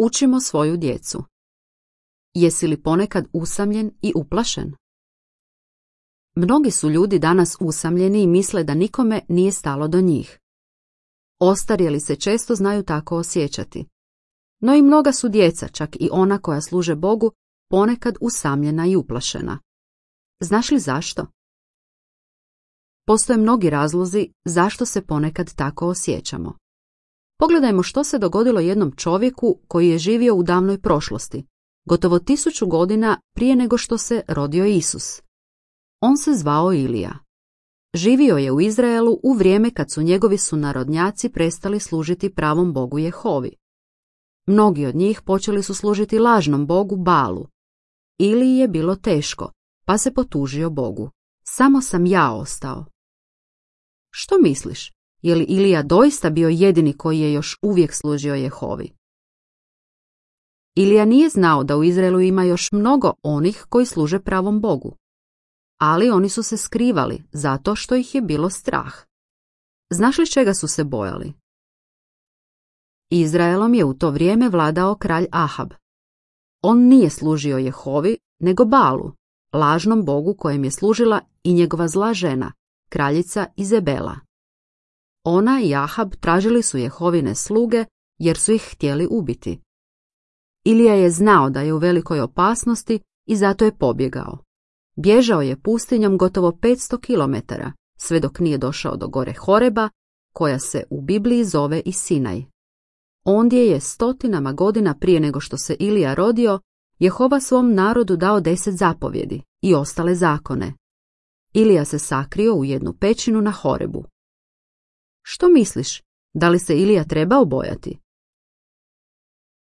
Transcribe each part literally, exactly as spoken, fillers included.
Učimo svoju djecu. Jesi li ponekad usamljen i uplašen? Mnogi su ljudi danas usamljeni i misle da nikome nije stalo do njih. Ostarjeli se često znaju tako osjećati. No i mnoga su djeca, čak i ona koja služe Bogu, ponekad usamljena i uplašena. Znaš li zašto? Postoje mnogi razlozi zašto se ponekad tako osjećamo. Pogledajmo što se dogodilo jednom čovjeku koji je živio u davnoj prošlosti, gotovo tisuću godina prije nego što se rodio Isus. On se zvao Ilija. Živio je u Izraelu u vrijeme kad su njegovi sunarodnjaci prestali služiti pravom Bogu Jehovi. Mnogi od njih počeli su služiti lažnom Bogu Balu. Iliji je bilo teško, pa se potužio Bogu. Samo sam ja ostao. Što misliš? Je li Ilija doista bio jedini koji je još uvijek služio Jehovi? Ilija nije znao da u Izraelu ima još mnogo onih koji služe pravom Bogu. Ali oni su se skrivali zato što ih je bilo strah. Znaš li čega su se bojali? Izraelom je u to vrijeme vladao kralj Ahab. On nije služio Jehovi, nego Balu, lažnom bogu kojem je služila i njegova zla žena, kraljica Izebela. Ona i Ahab tražili su Jehovine sluge jer su ih htjeli ubiti. Ilija je znao da je u velikoj opasnosti i zato je pobjegao. Bježao je pustinjom gotovo petsto kilometara, sve dok nije došao do gore Horeba, koja se u Bibliji zove i Sinaj. Ondje je stotinama godina prije nego što se Ilija rodio, Jehova svom narodu dao deset zapovjedi i ostale zakone. Ilija se sakrio u jednu pećinu na Horebu. Što misliš, da li se Ilija trebao bojati?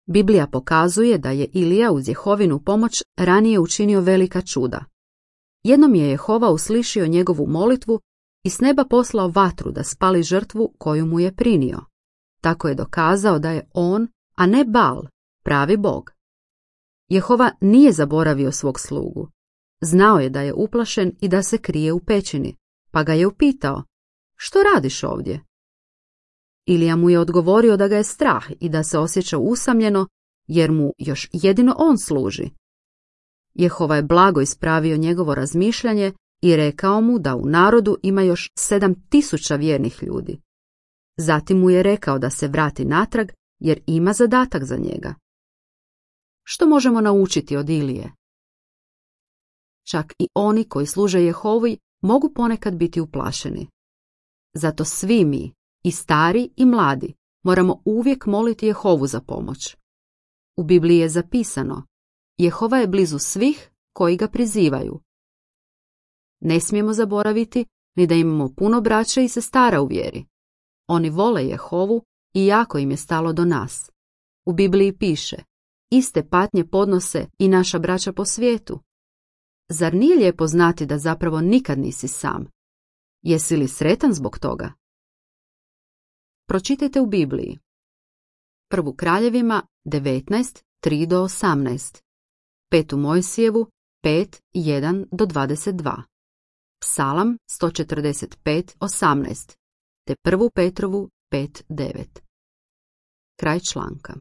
Biblija pokazuje da je Ilija uz Jehovinu pomoć ranije učinio velika čuda. Jednom je Jehova uslišio njegovu molitvu i s neba poslao vatru da spali žrtvu koju mu je prinio. Tako je dokazao da je on, a ne Bal, pravi Bog. Jehova nije zaboravio svog slugu. Znao je da je uplašen i da se krije u pećini, pa ga je upitao: što radiš ovdje? Ilija mu je odgovorio da ga je strah i da se osjeća usamljeno, jer mu još jedino on služi. Jehova je blago ispravio njegovo razmišljanje i rekao mu da u narodu ima još sedam tisuća vjernih ljudi. Zatim mu je rekao da se vrati natrag jer ima zadatak za njega. Što možemo naučiti od Ilije? Čak i oni koji služe Jehovi mogu ponekad biti uplašeni. Zato svi mi, i stari i mladi, moramo uvijek moliti Jehovu za pomoć. U Bibliji je zapisano: Jehova je blizu svih koji ga prizivaju. Ne smijemo zaboraviti ni da imamo puno braća i sestara u vjeri. Oni vole Jehovu i jako im je stalo do nas. U Bibliji piše: iste patnje podnose i naša braća po svijetu. Zar nije lijepo znati da zapravo nikad nisi sam? Jesi li sretan zbog toga? Pročitajte u Bibliji. Prvu Kraljevima devetnaest, tri do osamnaest. Petu Mojsijevu pet, jedan do dvadeset dva. Psalam sto četrdeset pet, osamnaest. Te prvu Petrovu pet, devet. Kraj članka.